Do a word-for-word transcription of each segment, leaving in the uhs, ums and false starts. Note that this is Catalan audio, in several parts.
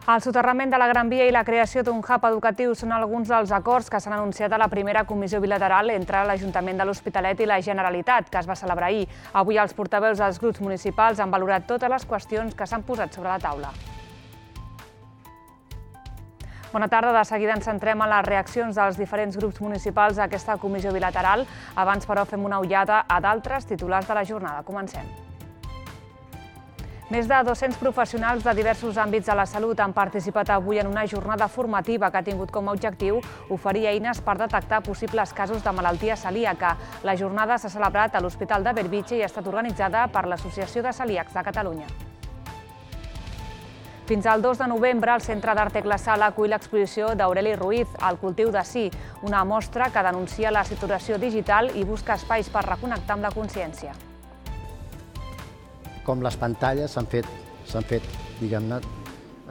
El soterrament de la Gran Via i la creació d'un hub educatiu són alguns dels acords que s'han anunciat a la primera comissió bilateral entre l'Ajuntament de l'Hospitalet i la Generalitat, que es va celebrar ahir. Avui els portaveus dels grups municipals han valorat totes les qüestions que s'han posat sobre la taula. Bona tarda, de seguida ens centrem en les reaccions dels diferents grups municipals a aquesta comissió bilateral. Abans, però, fem una ullada a d'altres titulars de la jornada. Comencem. Més de dos-cents professionals de diversos àmbits de la salut han participat avui en una jornada formativa que ha tingut com a objectiu oferir eines per detectar possibles casos de malaltia celíaca. La jornada s'ha celebrat a l'Hospital de Bellvitge i ha estat organitzada per l'Associació de Celíacs de Catalunya. Fins al dos de novembre, el Centre d'Art Tecla Sala acull l'exposició d'Aureli Ruiz, El cultiu de sí, una mostra que denuncia la saturació digital i busca espais per reconnectar amb la consciència. Com les pantalles s'han fet, s'han fet, diguem-ne,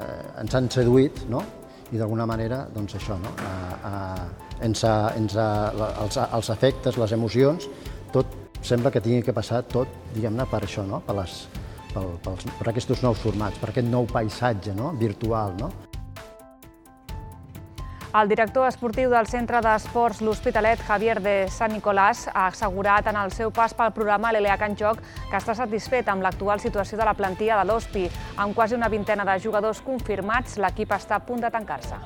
eh, ens han seduït, no? I d'alguna manera, doncs això, no? Eh, eh, ens ha, ens ha, els, els efectes, les emocions, tot sembla que tingui que passar tot, diguem-ne, per això, no? Per, les, per, per, per aquests nous formats, per aquest nou paisatge, no? Virtual, no? El director esportiu del Centre d'Esports L'Hospitalet, Javier de Sant Nicolàs, ha assegurat en el seu pas pel programa L'E L E A C en Joc que està satisfet amb l'actual situació de la plantilla de l'Hospi. Amb quasi una vintena de jugadors confirmats, l'equip està a punt de tancar-se.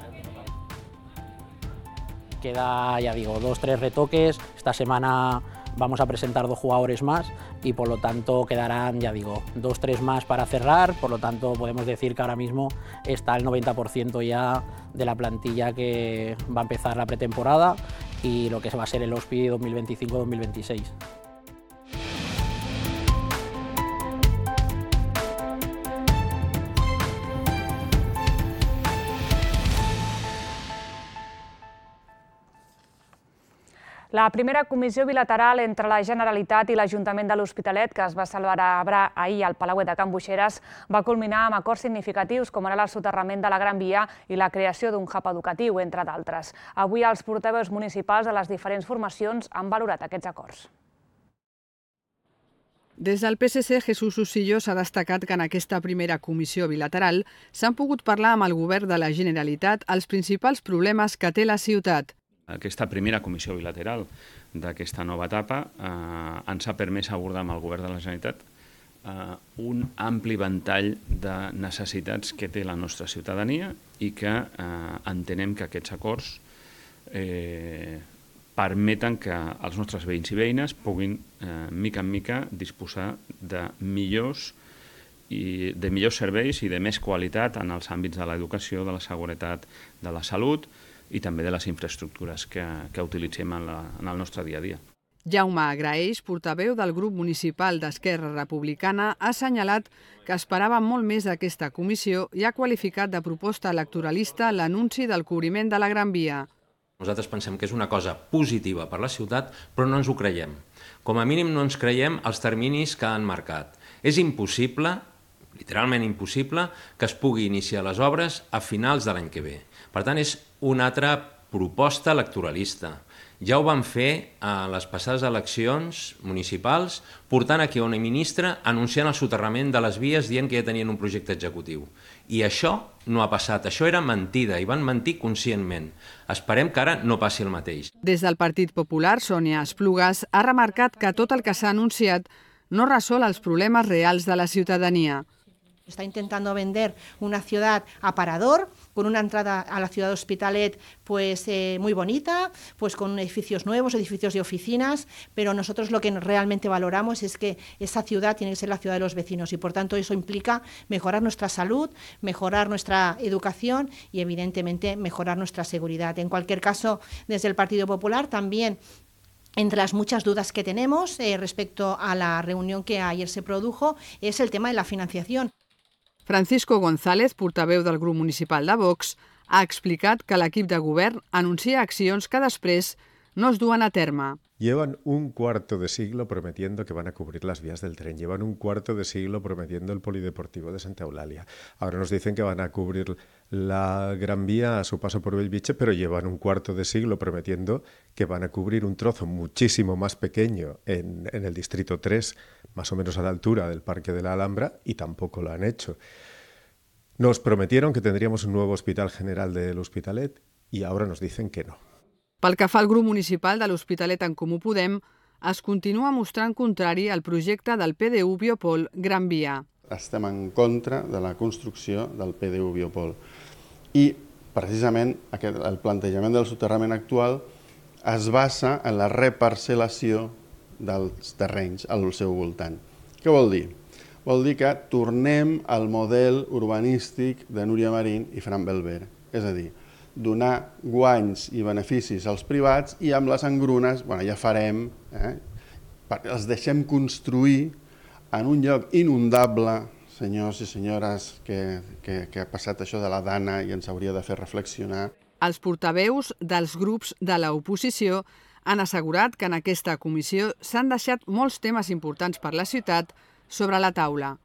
Queda, ya digo, dos, tres retoques. Esta semana vamos a presentar dos jugadores más y por lo tanto quedarán, ya digo, dos, tres más para cerrar. Por lo tanto podemos decir que ahora mismo está el noventa por ciento ya de la plantilla que va a empezar la pretemporada y lo que va a ser el Hospi dos mil veinticinco dos mil veintiséis. La primera comissió bilateral entre la Generalitat i l'Ajuntament de l'Hospitalet, que es va celebrar ahir al Palauet de Can Buixeres, va culminar amb acords significatius com ara el soterrament de la Gran Via i la creació d'un hub educatiu, entre d'altres. Avui els portaveus municipals de les diferents formacions han valorat aquests acords. Des del P S C, Jesús Usillo s'ha destacat que en aquesta primera comissió bilateral s'han pogut parlar amb el govern de la Generalitat els principals problemes que té la ciutat. Aquesta primera comissió bilateral d'aquesta nova etapa eh, ens ha permès abordar amb el govern de la Generalitat eh, un ampli ventall de necessitats que té la nostra ciutadania i que eh, entenem que aquests acords eh, permeten que els nostres veïns i veïnes puguin, eh, mica en mica, disposar de millors, i de millors serveis i de més qualitat en els àmbits de l'educació, de la seguretat, de la salut i també de les infraestructures que, que utilitzem en, la, en el nostre dia a dia. Jaume Agraeix, portaveu del grup municipal d'Esquerra Republicana, ha assenyalat que esperava molt més d'aquesta comissió i ha qualificat de proposta electoralista l'anunci del cobriment de la Gran Via. Nosaltres pensem que és una cosa positiva per la ciutat, però no ens ho creiem. Com a mínim no ens creiem els terminis que han marcat. És impossible, literalment impossible, que es pugui iniciar les obres a finals de l'any que ve. Per tant, és una altra proposta electoralista. Ja ho van fer a les passades eleccions municipals, portant aquí una ministra anunciant el soterrament de les vies dient que ja tenien un projecte executiu. I això no ha passat, això era mentida i van mentir conscientment. Esperem que ara no passi el mateix. Des del Partit Popular, Sònia Esplugues ha remarcat que tot el que s'ha anunciat no resol els problemes reals de la ciutadania. Está intentando vender una ciudad aparador, con una entrada a la ciudad de Hospitalet pues, eh, muy bonita, pues con edificios nuevos, edificios de oficinas, pero nosotros lo que realmente valoramos es que esa ciudad tiene que ser la ciudad de los vecinos y por tanto eso implica mejorar nuestra salud, mejorar nuestra educación y evidentemente mejorar nuestra seguridad. En cualquier caso, desde el Partido Popular también, entre las muchas dudas que tenemos eh, respecto a la reunión que ayer se produjo, es el tema de la financiación. Francisco González, portaveu del grup municipal de Vox, ha explicat que l'equip de govern anuncia accions que després no es duen a terme. Llevan un cuarto de siglo prometiendo que van a cubrir las vías del tren, llevan un cuarto de siglo prometiendo el polideportivo de Santa Eulalia. Ahora nos dicen que van a cubrir la Gran Vía a su paso por Bellvitge, pero llevan un cuarto de siglo prometiendo que van a cubrir un trozo muchísimo más pequeño en, en el Distrito tres, más o menos a la altura del Parque de la Alhambra, y tampoco lo han hecho. Nos prometieron que tendríamos un nuevo Hospital General de l'Hospitalet y ahora nos dicen que no. Pel que fa al grup municipal de l'Hospitalet en Comú Podem, es continua mostrant contrari al projecte del P D U Biopol Gran Via. Estem en contra de la construcció del P D U Biopol i precisament aquest, el plantejament del soterrament actual es basa en la reparcel·lació dels terrenys al seu voltant. Què vol dir? Vol dir que tornem al model urbanístic de Núria Marín i Fran Belver, és a dir, donar guanys i beneficis als privats i amb les engrunes, bueno, ja farem, eh, perquè els deixem construir en un lloc inundable, senyors i senyores, que, que, que ha passat això de la Dana i ens hauria de fer reflexionar. Els portaveus dels grups de l'oposició han assegurat que en aquesta comissió s'han deixat molts temes importants per la ciutat sobre la taula.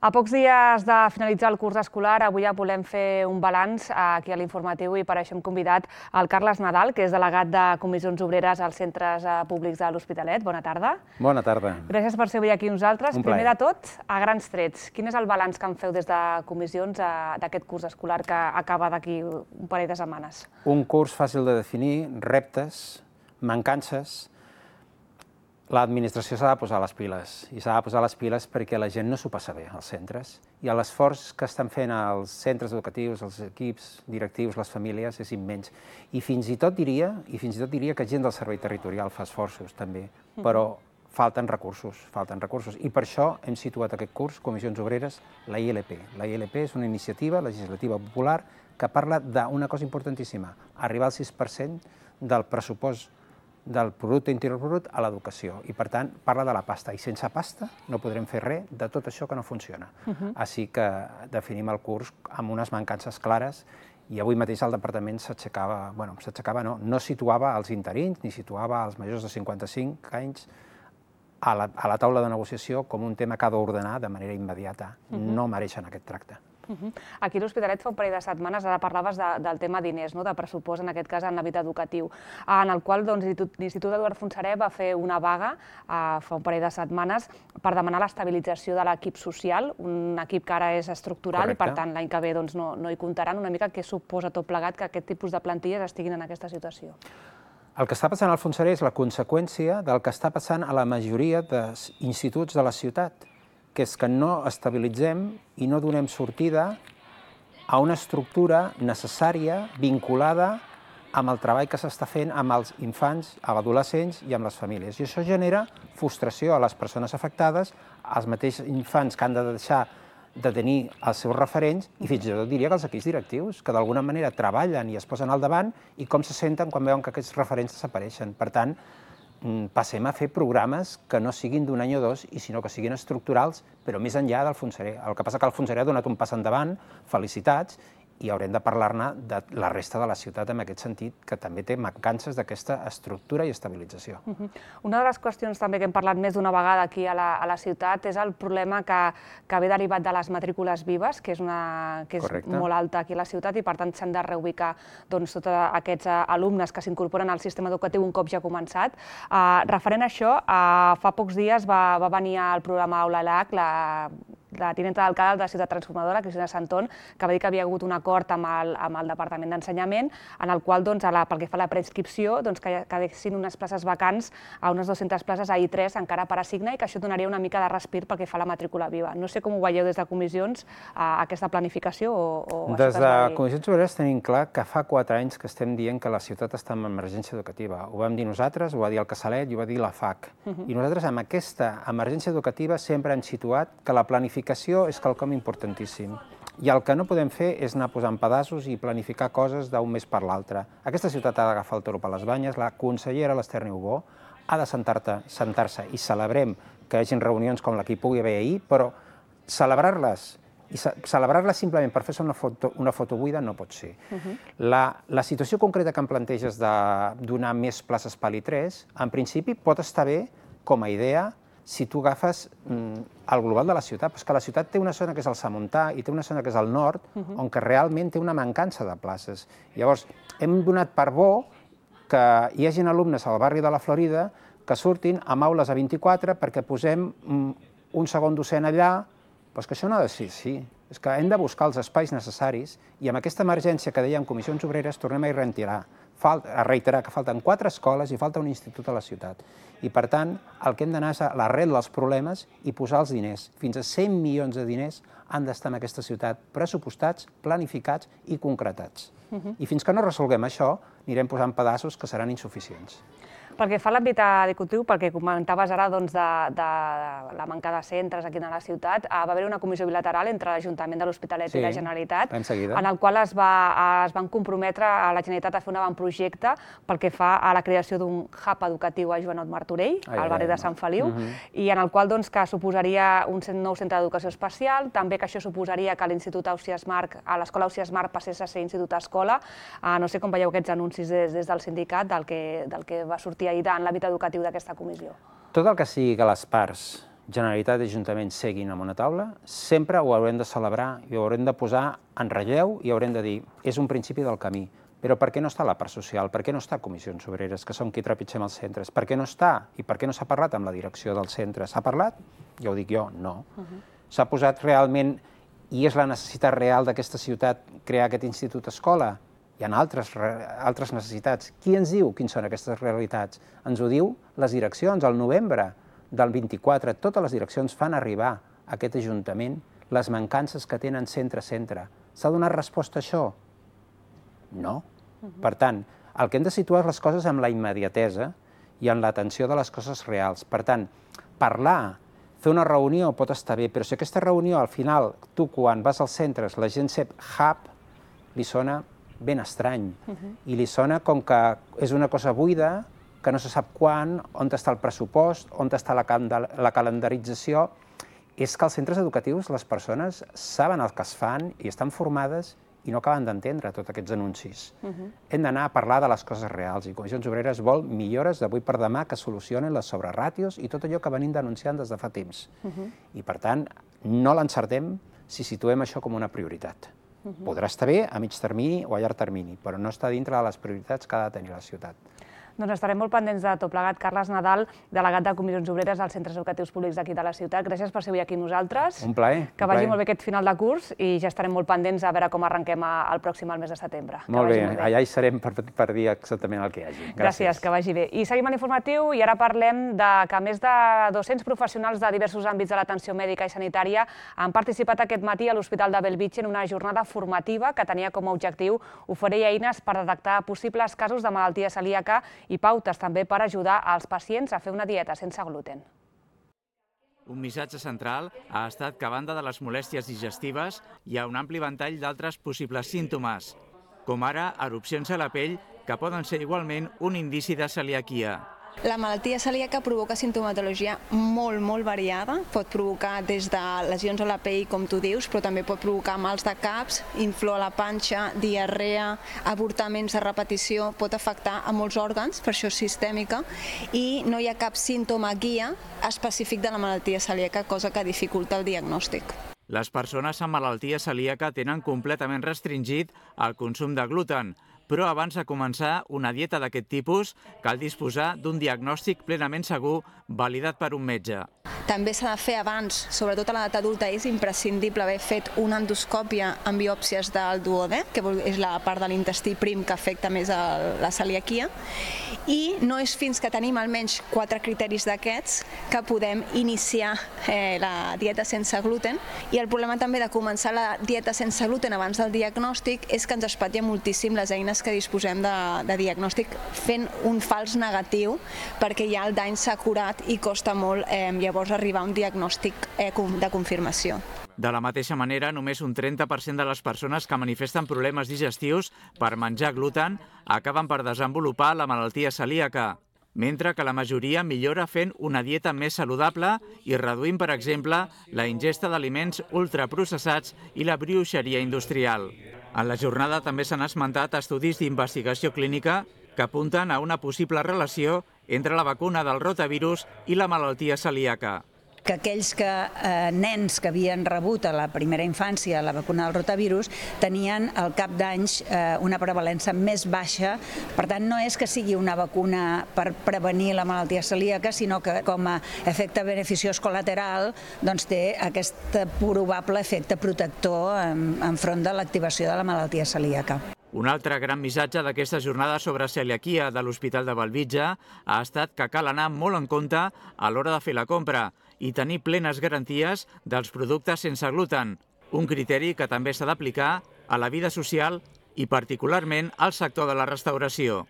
A pocs dies de finalitzar el curs escolar, avui ja volem fer un balanç aquí a l'Informatiu i per això hem convidat el Carles Nadal, que és delegat de Comissions Obreres als centres públics de l'Hospitalet. Bona tarda. Bona tarda. Gràcies per ser avui aquí amb nosaltres. Un plaer. Primer de tot, a grans trets, quin és el balanç que en feu des de comissions d'aquest curs escolar que acaba d'aquí un parell de setmanes? Un curs fàcil de definir, reptes, mancances. L'administració s'ha de posar les piles, i s'ha de posar les piles perquè la gent no s'ho passa bé als centres. I l'esforç que estan fent els centres educatius, els equips directius, les famílies, és immens. I fins i tot diria, i fins i tot diria que gent del servei territorial fa esforços també, però falten recursos, falten recursos. I per això hem situat aquest curs, Comissions Obreres, la I L P. La I L P és una iniciativa legislativa popular que parla d'una cosa importantíssima, arribar al sis per cent del pressupost del producte interior brut a l'educació. I, per tant, parla de la pasta. I sense pasta no podrem fer res de tot això que no funciona. Uh-huh. Així que definim el curs amb unes mancances clares i avui mateix el departament s'aixecava, bueno, s'aixecava no, no situava els interins ni situava els majors de cinquanta-cinc anys a la, a la taula de negociació com un tema que ha d'ordenar de manera immediata. Uh-huh. No mereixen aquest tracte. Uh-huh. Aquí a l'Hospitalet fa un parell de setmanes, ara parlaves de, del tema diners, no? De pressupost, en aquest cas en l'àmbit educatiu, en el qual doncs, l'Institut Eduard Fontserè va fer una vaga eh, fa un parell de setmanes per demanar l'estabilització de l'equip social, un equip que ara és estructural. Correcte. I per tant l'any que ve doncs, no, no hi comptaran. Una mica què suposa tot plegat que aquest tipus de plantilles estiguin en aquesta situació? El que està passant al Fontserè és la conseqüència del que està passant a la majoria d'instituts de la ciutat, que és que no estabilitzem i no donem sortida a una estructura necessària, vinculada amb el treball que s'està fent amb els infants, amb adolescents i amb les famílies. I això genera frustració a les persones afectades, als mateixos infants que han de deixar de tenir els seus referents i fins i tot diria que els equips directius, que d'alguna manera treballen i es posen al davant i com se senten quan veuen que aquests referents desapareixen. Per tant, passem a fer programes que no siguin d'un any o dos, i sinó que siguin estructurals, però més enllà del Fontserè. El que passa que el Fontserè ha donat un pas endavant, felicitats, i haurem de parlar-ne de la resta de la ciutat en aquest sentit, que també té mancances d'aquesta estructura i estabilització. Uh-huh. Una de les qüestions també que hem parlat més d'una vegada aquí a la, a la ciutat és el problema que, que ve derivat de les matrícules vives, que és, una, que és molt alta aquí a la ciutat i per tant s'han de reubicar doncs, tots aquests uh, alumnes que s'incorporen al sistema educatiu un cop ja ha començat. Uh, referent a això, uh, fa pocs dies va, va venir al programa Aula L H C la la tinenta d'alcalde de la Ciutat Transformadora, Cristina Santón, que va dir que havia hagut un acord amb el, amb el Departament d'Ensenyament, en el qual, doncs, a la, pel que fa a la preinscripció, doncs, que quedessin unes places vacants a unes dues-centes places a I tres encara per assignar i que això donaria una mica de respir pel que fa a la matrícula viva. No sé com ho veieu des de comissions, a aquesta planificació o, o des de Comissions Obreres tenim clar que fa quatre anys que estem dient que la ciutat està en emergència educativa. Ho vam dir nosaltres, ho va dir el Casalet i ho va dir la F A C. Uh-huh. I nosaltres amb aquesta emergència educativa sempre hem situat que la planificació és quelcom importantíssim. I el que no podem fer és anar posant pedaços i planificar coses d'un mes per l'altre. Aquesta ciutat ha d'agafar el toro per les banyes, la consellera l'Ester Niubó ha de sentar-se i celebrem que hi hagi reunions com la que hi pugui haver ahir, però celebrar-les i celebrar-les simplement per fer-se una foto, una foto buida no pot ser. Uh-huh. la, la situació concreta que em planteges de donar més places per l'I tres, en principi pot estar bé com a idea si tu agafes mm, el global de la ciutat, però és que la ciutat té una zona que és el Samontà i té una zona que és el nord, uh-huh. on que realment té una mancança de places. Llavors, hem donat per bo que hi hagin alumnes al barri de la Florida que surtin amb aules a vint-i-quatre perquè posem mm, un segon docent allà Però és que això no ha de ser així. És que hem de buscar els espais necessaris i amb aquesta emergència que dèiem Comissions Obreres tornem a reiterar, a reiterar que falten quatre escoles i falta un institut a la ciutat. I, per tant, el que hem d'anar és a l'arrel dels problemes i posar els diners. Fins a cent milions de diners han d'estar en aquesta ciutat pressupostats, planificats i concretats. I fins que no resolguem això, anirem posant pedaços que seran insuficients. Pel que fa a l'àmbit educatiu, pel que comentaves ara de la manca de centres aquí a la ciutat, va haver una comissió bilateral entre l'Ajuntament de l'Hospitalet i la Generalitat, en el qual es van comprometre a la Generalitat a fer un avantprojecte pel que fa a la creació d'un hub educatiu a Joanot Martorell, al barri de Sant Feliu, i en el qual que suposaria un nou centre d'educació especial, també que això suposaria que l'Institut Ausiàs Marc, a l'Escola Ausiàs Marc passés a ser institut-escola. No sé com veieu aquests anuncis des del sindicat, del que va sortir ahir en l'àmbit educatiu d'aquesta comissió. Tot el que sigui que les parts, Generalitat i Ajuntament, seguin en una taula, sempre ho haurem de celebrar i ho haurem de posar en relleu i haurem de dir, és un principi del camí. Però per què no està la part social? Per què no està Comissions Obreres, que som qui trepitgem els centres? Per què no està? I per què no s'ha parlat amb la direcció del centre? S'ha parlat? Ja ho dic jo, no. S'ha posat realment, i és la necessitat real d'aquesta ciutat, crear aquest institut-escola? Hi ha altres necessitats. Qui ens diu quines són aquestes realitats? Ens ho diu les direccions. Al novembre del vint-i-quatre, totes les direccions fan arribar a aquest Ajuntament les mancances que tenen centre a centre. S'ha donat resposta a això? No. Per tant, el que hem de situar és les coses amb la immediatesa i en l'atenció de les coses reals. Per tant, parlar, fer una reunió pot estar bé, però si aquesta reunió, al final, tu quan vas als centres, la gent sap hub, li sona ben estrany, i li sona com que és una cosa buida, que no se sap quan, on està el pressupost, on està la calendarització. És que als centres educatius les persones saben el que es fan i estan formades i no acaben d'entendre tots aquests anuncis. Hem d'anar a parlar de les coses reals i Comissions Obreres vol millores d'avui per demà que solucionen les sobreràtios i tot allò que venim denunciant des de fa temps. I per tant, no l'encertem si situem això com una prioritat. Podrà estar bé a mig termini o a llarg termini, però no està dintre de les prioritats que ha de tenir la ciutat. Doncs estarem molt pendents de tot plegat. Carles Nadal, delegat de Comissions Obreres als centres educatius públics d'aquí de la ciutat. Gràcies per ser avui aquí amb nosaltres. Un plaer. Que vagi molt bé aquest final de curs i ja estarem molt pendents a veure com arrenquem el pròxim al mes de setembre. Molt bé, allà hi serem per dir exactament el que hi hagi. Gràcies, que vagi bé. I seguim a l'informatiu i ara parlem que més de dos-cents professionals de diversos àmbits de l'atenció mèdica i sanitària han participat aquest matí a l'Hospital de Bellvitge en una jornada formativa que tenia com a objectiu oferir eines per detectar possibles casos de malaltia celíaca i pautes també per ajudar als pacients a fer una dieta sense gluten. Un missatge central ha estat que a banda de les molèsties digestives hi ha un ampli ventall d'altres possibles símptomes, com ara erupcions a la pell que poden ser igualment un indici de celiaquia. La malaltia celíaca provoca sintomatologia molt, molt variada. Pot provocar des de lesions a la pell, com tu dius, però també pot provocar mals de caps, inflor a la panxa, diarrea, avortaments de repetició, pot afectar a molts òrgans, per això és sistèmica, i no hi ha cap símptoma guia específic de la malaltia celíaca, cosa que dificulta el diagnòstic. Les persones amb malaltia celíaca tenen completament restringit el consum de gluten, però abans de començar una dieta d'aquest tipus cal disposar d'un diagnòstic plenament segur validat per un metge. També s'ha de fer abans, sobretot a l'edat adulta, és imprescindible haver fet una endoscòpia amb biòpsies del duodè, que és la part de l'intestí prim que afecta més a la celiaquia, i no és fins que tenim almenys quatre criteris d'aquests que podem iniciar la dieta sense gluten. I el problema també de començar la dieta sense gluten abans del diagnòstic és que ens espatlla moltíssim les eines que disposem de diagnòstic fent un fals negatiu, perquè ja el dany s'ha curat i costa molt llavors arribar a un diagnòstic de confirmació. De la mateixa manera, només un trenta per cent de les persones que manifesten problemes digestius per menjar gluten acaben per desenvolupar la malaltia celíaca, mentre que la majoria millora fent una dieta més saludable i reduint, per exemple, la ingesta d'aliments ultraprocessats i la brioixeria industrial. En la jornada també s'han esmentat estudis d'investigació clínica que apunten a una possible relació entre la vacuna del rotavirus i la malaltia celíaca. que aquells que, eh, nens que havien rebut a la primera infància la vacuna del rotavirus tenien al cap d'anys eh, una prevalença més baixa. Per tant, no és que sigui una vacuna per prevenir la malaltia celíaca, sinó que com a efecte beneficiós col·lateral doncs, té aquest probable efecte protector enfront de l'activació de la malaltia celíaca. Un altre gran missatge d'aquesta jornada sobre celiaquia de l'Hospital de Bellvitge ha estat que cal anar molt en compte a l'hora de fer la compra i tenir plenes garanties dels productes sense gluten, un criteri que també s'ha d'aplicar a la vida social i particularment al sector de la restauració.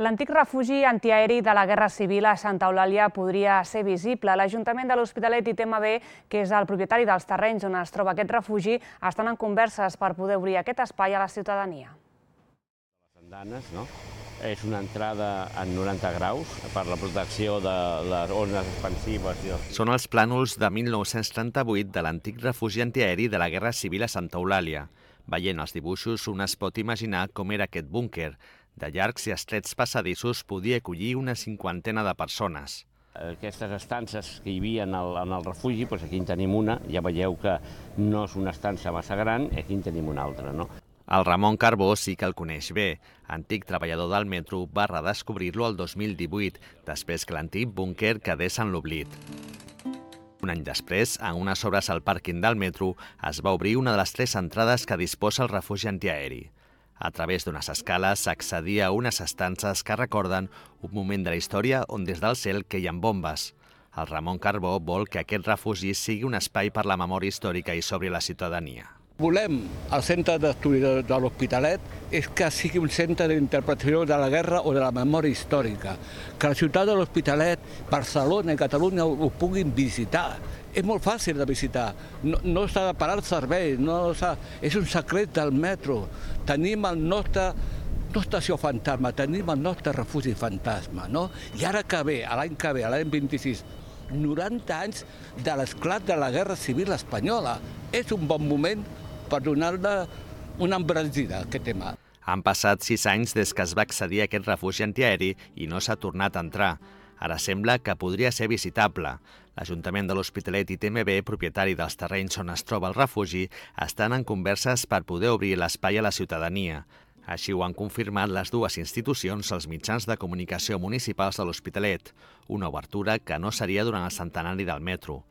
L'antic refugi antiaeri de la Guerra Civil a Santa Eulàlia podria ser visible. L'Ajuntament de l'Hospitalet i T M B, que és el propietari dels terrenys on es troba aquest refugi, estan en converses per poder obrir aquest espai a la ciutadania. Les andanes, no? És una entrada en noranta graus per la protecció de les ones expansives. Són els plànols de mil nou-cents trenta-vuit de l'antic refugi antiaeri de la Guerra Civil a Santa Eulàlia. Veient els dibuixos, un es pot imaginar com era aquest búnquer. De llargs i estrets passadissos podia acollir una cinquantena de persones. Aquestes estances que hi havia en el, en el refugi, doncs aquí en tenim una, ja veieu que no és una estança massa gran, aquí en tenim una altra, no? El Ramon Carbó sí que el coneix bé. Antic treballador del metro, va redescobrir-lo el dos mil divuit, després que l'antic búnquer quedés en l'oblit. Un any després, en unes obres al pàrquing del metro, es va obrir una de les tres entrades que disposa el refugi antiaeri. A través d'unes escales s'accedia a unes estances que recorden un moment de la història on des del cel queien bombes. El Ramon Carbó vol que aquest refugi sigui un espai per la memòria històrica i sobre la ciutadania. Volem, el centre d'estudi de, de l'Hospitalet, és que sigui un centre d'interpretació de la guerra o de la memòria històrica. Que la ciutat de l'Hospitalet, Barcelona i Catalunya ho, ho puguin visitar. És molt fàcil de visitar, no, no s'ha de parar el servei, no és un secret del metro. Tenim el nostre, no estació fantasma, tenim el nostre refugi fantasma, no? I ara que ve, l'any que ve, l'any vint-i-sis, noranta anys de l'esclat de la Guerra Civil espanyola. És un bon moment per donar-ne una embranzida a aquest tema. Han passat sis anys des que es va accedir a aquest refugi antiaeri i no s'ha tornat a entrar. Ara sembla que podria ser visitable. L'Ajuntament de l'Hospitalet i T M B, propietari dels terrenys on es troba el refugi, estan en converses per poder obrir l'espai a la ciutadania. Així ho han confirmat les dues institucions als mitjans de comunicació municipals de l'Hospitalet, una obertura que no seria durant el centenari del metro.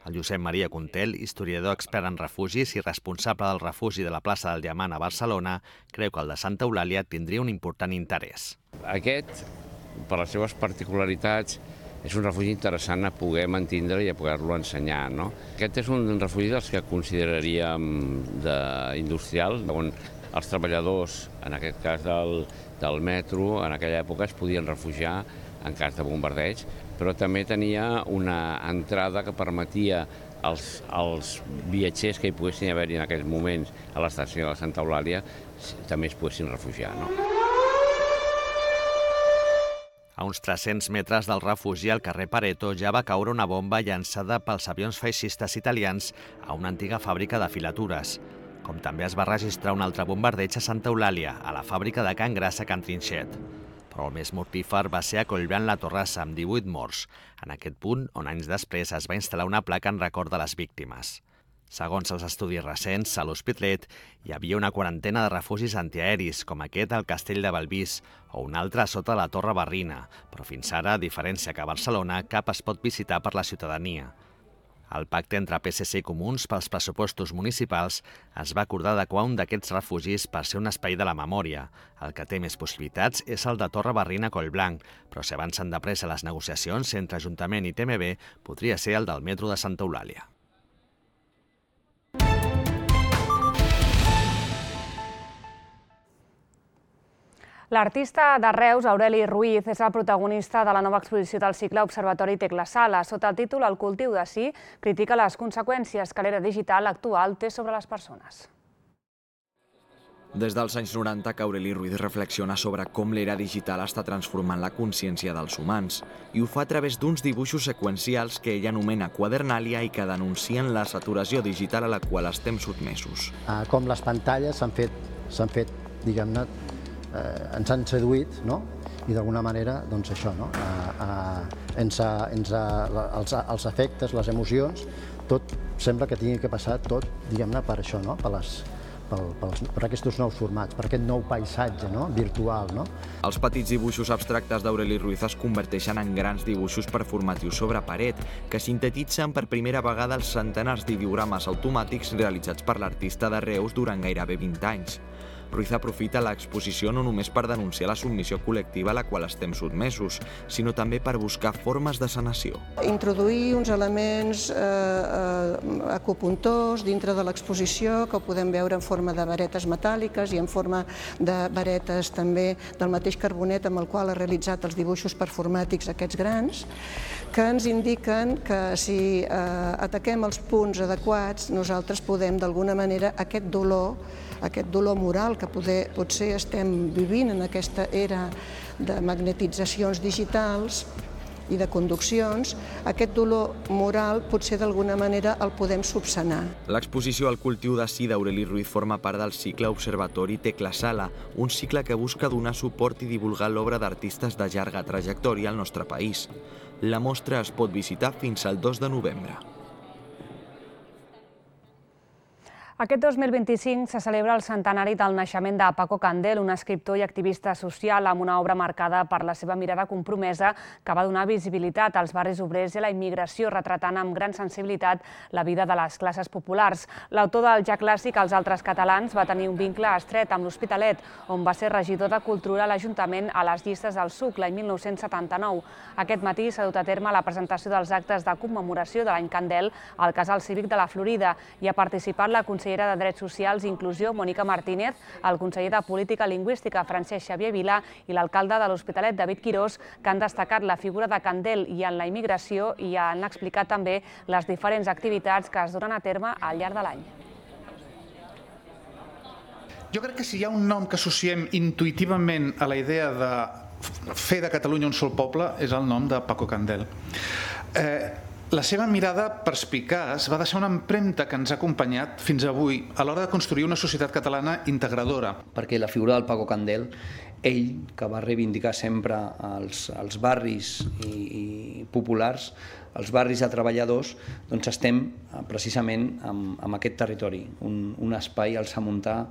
El Josep Maria Contel, historiador expert en refugis i responsable del refugi de la plaça del Diamant a Barcelona, creu que el de Santa Eulàlia tindria un important interès. Aquest, per les seves particularitats, és un refugi interessant a poder mantindre i a poder-lo ensenyar, no? Aquest és un refugi dels que consideraríem d'industrial, on els treballadors, en aquest cas del, del metro, en aquella època es podien refugiar en cas de bombardeig, però també tenia una entrada que permetia als, als viatgers que hi poguessin haver-hi en aquells moments a l'estació de Santa Eulàlia també es poguessin refugiar, no? A uns tres-cents metres del refugi, al carrer Pareto, ja va caure una bomba llançada pels avions feixistes italians a una antiga fàbrica de filatures. Com també es va registrar un altre bombardeig a Santa Eulàlia, a la fàbrica de Can Grassa a Can Trinxet. Però el més mortífer va ser a Collblanc la Torrassa, amb divuit morts, en aquest punt on anys després es va instal·lar una placa en record de les víctimes. Segons els estudis recents, a l'Hospitalet hi havia una quarantena de refugis antiaeris, com aquest al Castell de Bellvís, o un altre sota la Torre Barrina, però fins ara, a diferència que a Barcelona, cap es pot visitar per la ciutadania. El pacte entre P S C i Comuns pels pressupostos municipals es va acordar adequar un d'aquests refugis per ser un espai de la memòria. El que té més possibilitats és el de Torre Barrina Collblanc, però si avancen de pressa les negociacions entre Ajuntament i T M B, podria ser el del metro de Santa Eulàlia. L'artista de Reus, Aureli Ruiz, és el protagonista de la nova exposició del cicle Observatori Tecla Sala. Sota el títol El cultiu de sí, critica les conseqüències que l'era digital actual té sobre les persones. Des dels anys noranta que Aureli Ruiz reflexiona sobre com l'era digital està transformant la consciència dels humans i ho fa a través d'uns dibuixos seqüencials que ella anomena quadernàlia i que denuncien la saturació digital a la qual estem sotmesos. Com les pantalles s'han fet, s'han fet, diguem-ne, eh, ens han seduït, no? I d'alguna manera, doncs això, no? A, a, ens ha, ens ha, els, els efectes, les emocions, tot sembla que tingui que passar tot, diguem-ne, per això, no? Per les, Per, per, per aquests nous formats, per aquest nou paisatge, no? Virtual. No? Els petits dibuixos abstractes d'Aureli Ruiz es converteixen en grans dibuixos performatius sobre paret, que sintetitzen per primera vegada els centenars d'ideogrames automàtics realitzats per l'artista de Reus durant gairebé vint anys. Ruiz aprofita l'exposició no només per denunciar la submissió col·lectiva a la qual estem sotmesos, sinó també per buscar formes de sanació. Introduir uns elements eh, eh, acupuntors dintre de l'exposició que ho podem veure en forma de varetes metàl·liques i en forma de varetes també del mateix carbonet amb el qual ha realitzat els dibuixos performàtics aquests grans, que ens indiquen que si eh, ataquem els punts adequats nosaltres podem d'alguna manera aquest dolor aquest dolor moral que poder, potser estem vivint en aquesta era de magnetitzacions digitals i de conduccions, aquest dolor moral potser d'alguna manera el podem subsanar. L'exposició al cultiu de si d'Aureli Ruiz forma part del cicle Observatori Tecla Sala, un cicle que busca donar suport i divulgar l'obra d'artistes de llarga trajectòria al nostre país. La mostra es pot visitar fins al dos de novembre. Aquest dos mil vint-i-cinc se celebra el centenari del naixement de Paco Candel, un escriptor i activista social amb una obra marcada per la seva mirada compromesa que va donar visibilitat als barris obrers i a la immigració, retratant amb gran sensibilitat la vida de les classes populars. L'autor del ja clàssic Els altres catalans va tenir un vincle estret amb l'Hospitalet, on va ser regidor de Cultura a l'Ajuntament a les llistes del S U C l'any mil nou-cents setanta-nou. Aquest matí s'ha dut a terme la presentació dels actes de commemoració de l'any Candel al Casal Cívic de la Florida i ha participat la consellera de Drets Socials i Inclusió, Mònica Martínez, el conseller de Política Lingüística, Francesc Xavier Vila, i l'alcalde de l'Hospitalet, David Quirós, que han destacat la figura de Candel i en la immigració i han explicat també les diferents activitats que es donen a terme al llarg de l'any. Jo crec que si hi ha un nom que associem intuïtivament a la idea de fer de Catalunya un sol poble és el nom de Paco Candel. Eh, La seva mirada perspicaç va deixar una empremta que ens ha acompanyat fins avui a l'hora de construir una societat catalana integradora. Perquè la figura del Paco Candel, ell, que va reivindicar sempre els, els barris i, i populars, els barris de treballadors, doncs estem precisament amb, amb aquest territori, un, un espai al Samuntà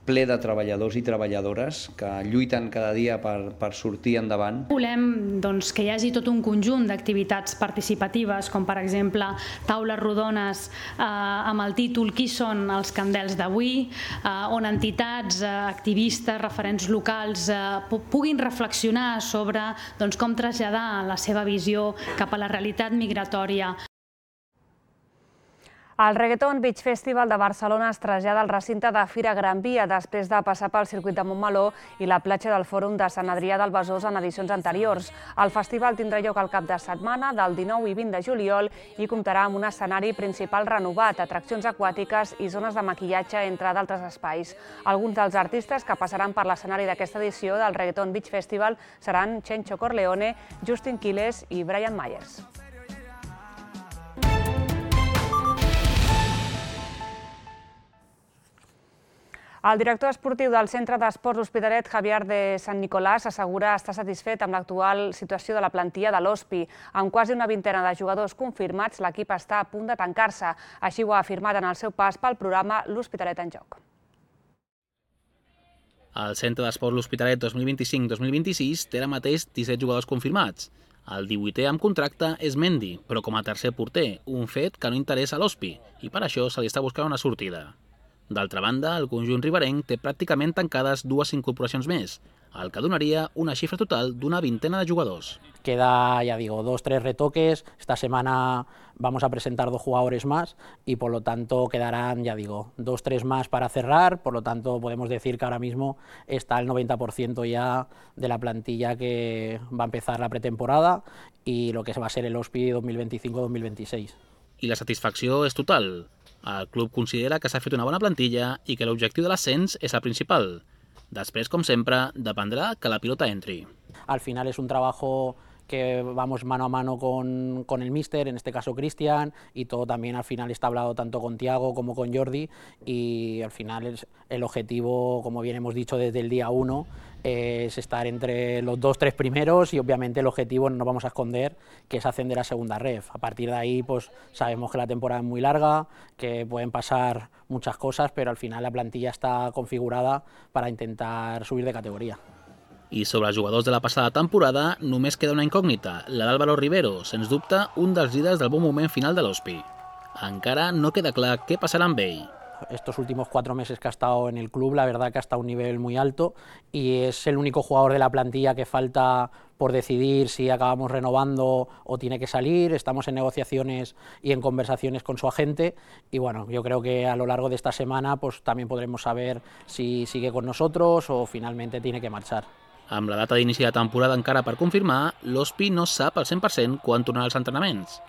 ple de treballadors i treballadores que lluiten cada dia per, per sortir endavant. Volem doncs, que hi hagi tot un conjunt d'activitats participatives, com per exemple taules rodones eh, amb el títol Qui són els Candels d'avui, eh, on entitats, eh, activistes, referents locals eh, puguin reflexionar sobre doncs, com traslladar la seva visió cap a la realitat migratòria. El Reggaeton Beach Festival de Barcelona es trasllada al recinte de Fira Gran Via després de passar pel circuit de Montmeló i la platja del Fòrum de Sant Adrià del Besòs en edicions anteriors. El festival tindrà lloc al cap de setmana del dinou i vint de juliol i comptarà amb un escenari principal renovat, atraccions aquàtiques i zones de maquillatge, entre d'altres espais. Alguns dels artistes que passaran per l'escenari d'aquesta edició del Reggaeton Beach Festival seran Chencho Corleone, Justin Quiles i Brian Myers. El director esportiu del Centre d'Esports Hospitalet, Javier de Sant Nicolàs, assegura estar satisfet amb l'actual situació de la plantilla de l'Hospi. Amb quasi una vintena de jugadors confirmats, l'equip està a punt de tancar-se. Així ho ha afirmat en el seu pas pel programa L'Hospitalet en Joc. El Centre d'Esports L'Hospitalet dos mil vint-i-cinc dos mil vint-i-sis té ara mateix disset jugadors confirmats. El divuitè amb contracte és Mendy, però com a tercer porter, un fet que no interessa a l'Hospi, i per això se li està buscant una sortida. D'altra banda, el conjunt riberenc té pràcticament tancades dues incorporacions més, el que donaria una xifra total d'una vintena de jugadors. Queda, ya digo, dos, tres retoques. Esta semana vamos a presentar dos jugadores más y por lo tanto quedarán, ya digo, dos, tres más para cerrar. Por lo tanto, podemos decir que ahora mismo está el noventa por ciento ya de la plantilla que va a empezar la pretemporada y lo que va a ser el Hospi dos mil vint-i-cinc dos mil vint-i-sis. I la satisfacció és total. El club considera que s'ha fet una bona plantilla i que l'objectiu de l'ascens és el principal. Després, com sempre, dependrà que la pilota entri. Al final es un trabajo que vamos mano a mano con, con el míster, en este caso Cristian, y todo también al final está hablado tanto con Thiago como con Jordi, y al final es, el objetivo, como bien hemos dicho desde el día uno, es estar entre los dos, tres primeros, y obviamente el objetivo, no nos vamos a esconder, que es ascender a segunda ref. A partir de ahí pues sabemos que la temporada es muy larga, que pueden pasar muchas cosas, pero al final la plantilla està configurada para intentar subir de categoria. I sobre els jugadors de la passada temporada només queda una incògnita, la d'Álvaro Rivero, sens dubte un dels líders del bon moment final de l'Hospi. Encara no queda clar què passarà amb ell. Estos últimos cuatro meses que ha estado en el club, la verdad que ha estado a un nivel muy alto y es el único jugador de la plantilla que falta por decidir si acabamos renovando o tiene que salir. Estamos en negociaciones y en conversaciones con su agente y bueno, yo creo que a lo largo de esta semana pues también podremos saber si sigue con nosotros o finalmente tiene que marchar. Amb la data d'inici de temporada encara per confirmar, l'Hospi no sap al cent per cent quan tornarà als entrenaments,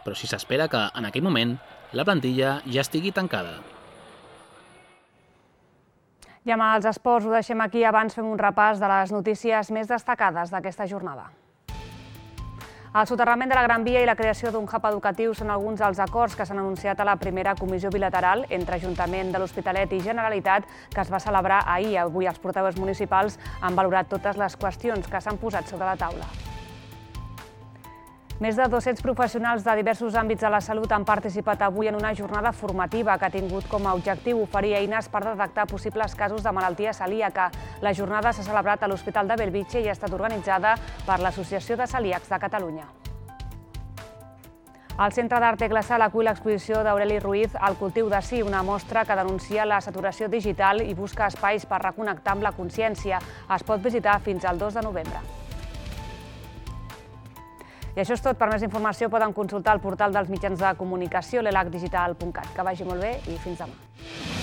però sí s'espera que en aquell moment la plantilla ja estigui tancada. I amb els esports ho deixem aquí, abans fem un repàs de les notícies més destacades d'aquesta jornada. El soterrament de la Gran Via i la creació d'un hub educatiu són alguns dels acords que s'han anunciat a la primera comissió bilateral entre Ajuntament de l'Hospitalet i Generalitat que es va celebrar ahir. Avui els portaveus municipals han valorat totes les qüestions que s'han posat sobre la taula. Més de dos-cents professionals de diversos àmbits de la salut han participat avui en una jornada formativa que ha tingut com a objectiu oferir eines per detectar possibles casos de malaltia celíaca. La jornada s'ha celebrat a l'Hospital de Bellvitge i ha estat organitzada per l'Associació de Celíacs de Catalunya. El Centre d'Arte Glaçal acull l'exposició d'Aureli Ruiz El cultiu de sí, una mostra que denuncia la saturació digital i busca espais per reconnectar amb la consciència. Es pot visitar fins al dos de novembre. I això és tot. Per més informació poden consultar el portal dels mitjans de comunicació, l'elac digital punt cat. Que vagi molt bé i fins demà.